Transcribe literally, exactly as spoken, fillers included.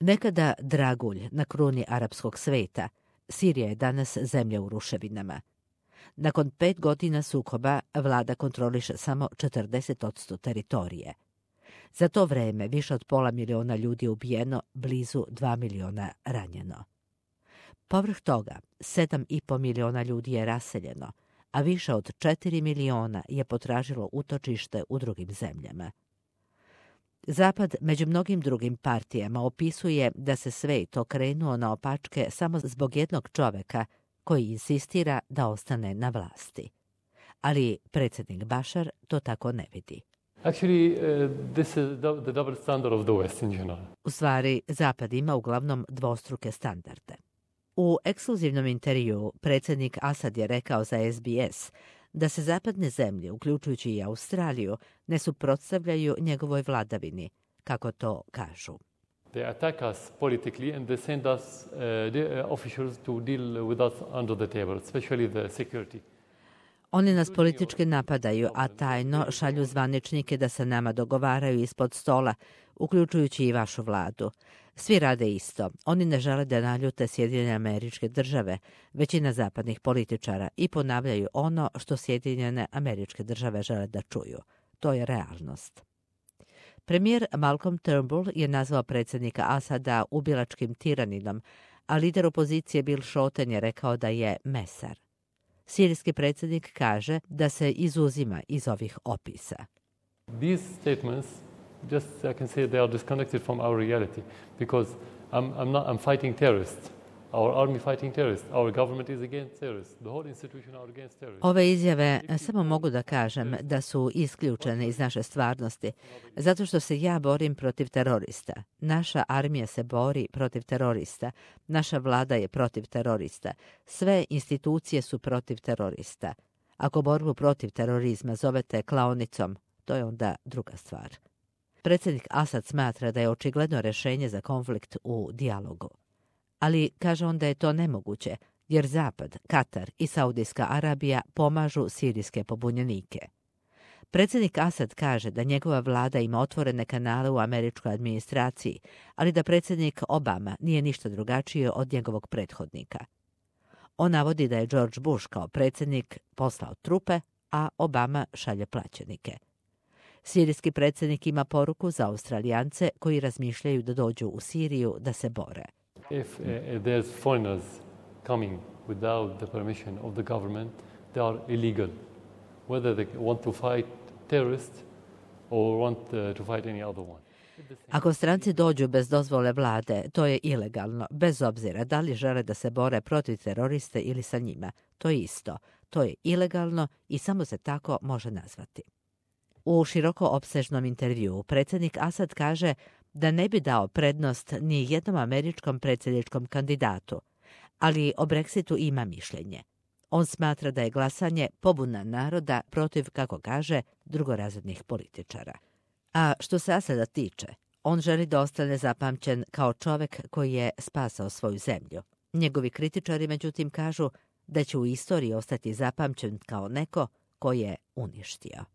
Nekada dragulj na kruni arapskog sveta, Sirija je danas zemlja u ruševinama. Nakon pet godina sukoba vlada kontroliše samo četrdeset posto teritorije. Za to vreme više od pola miliona ljudi je ubijeno, blizu dva miliona ranjeno. Povrh toga, sedam i po miliona ljudi je raseljeno, a više od četiri miliona je potražilo utočište u drugim zemljama. Zapad među mnogim drugim partijama opisuje da se svet okrenuo na opačke samo zbog jednog čoveka koji insistira da ostane na vlasti. Ali predsjednik Bashar to tako ne vidi. Actually, uh, this is the double standard of the West in general. U stvari, Zapad ima uglavnom dvostruke standarde. U ekskluzivnom intervjuu predsjednik Asad je rekao za S B S da se zapadne zemlje, uključujući i Australiju, ne suprotstavljaju njegovoj vladavini, kako to kažu. They attack us politically and they send us uh, the officials to deal with us under the table, especially the security. Oni nas politički napadaju, a tajno šalju zvaničnike da se nama dogovaraju ispod stola, uključujući i vašu vladu. Svi rade isto. Oni ne žele da naljute Sjedinjene Američke Države, većina zapadnih političara, i ponavljaju ono što Sjedinjene Američke Države žele da čuju. To je realnost. Premijer Malcolm Turnbull je nazvao predsjednika Asada ubilačkim tiraninom, a lider opozicije Bill Shorten je rekao da je mesar. Sirijski predsjednik kaže da se izuzima iz ovih opisa. These statements, just I can say they are disconnected from our reality because I'm, I'm not I'm fighting terrorists. Our army fighting terrorists. Our government is against terrorists. The whole institution are against terrorists. Ove izjave samo mogu da kažem da su isključene iz naše stvarnosti, zato što se ja borim protiv terorista. Naša armija se bori protiv terorista. Naša vlada je protiv terorista. Sve institucije su protiv terorista. Ako borbu protiv terorizma zovete klaonicom, to je onda druga stvar. Predsjednik Asad smatra da je očigledno rješenje za konflikt u dijalogu. Ali kaže on da je to nemoguće, jer Zapad, Katar i Saudijska Arabija pomažu sirijske pobunjenike. Predsjednik Asad kaže da njegova vlada ima otvorene kanale u američkoj administraciji, ali da predsjednik Obama nije ništa drugačije od njegovog prethodnika. On navodi da je George Bush kao predsjednik poslao trupe, a Obama šalje plaćenike. Sirijski predsjednik ima poruku za Australijance koji razmišljaju da dođu u Siriju da se bore. If uh, there's foreigners coming without the permission of the government, they are illegal. Whether they want to fight terrorists or want uh, to fight any other one. Ako stranci dođu bez dozvole vlade, to je ilegalno, bez obzira da li žele da se bore protiv teroriste ili sa njima. To je isto. To je ilegalno i samo se tako može nazvati. U široko opsežnom intervjuu predsjednik Asad kaže da ne bi dao prednost ni jednom američkom predsjedničkom kandidatu, ali o Brexitu ima mišljenje. On smatra da je glasanje pobuna naroda protiv, kako kaže, drugorazrednih političara. A što se Asada tiče, on želi da ostane zapamćen kao čovek koji je spasao svoju zemlju. Njegovi kritičari, međutim, kažu da će u istoriji ostati zapamćen kao neko ko je uništio.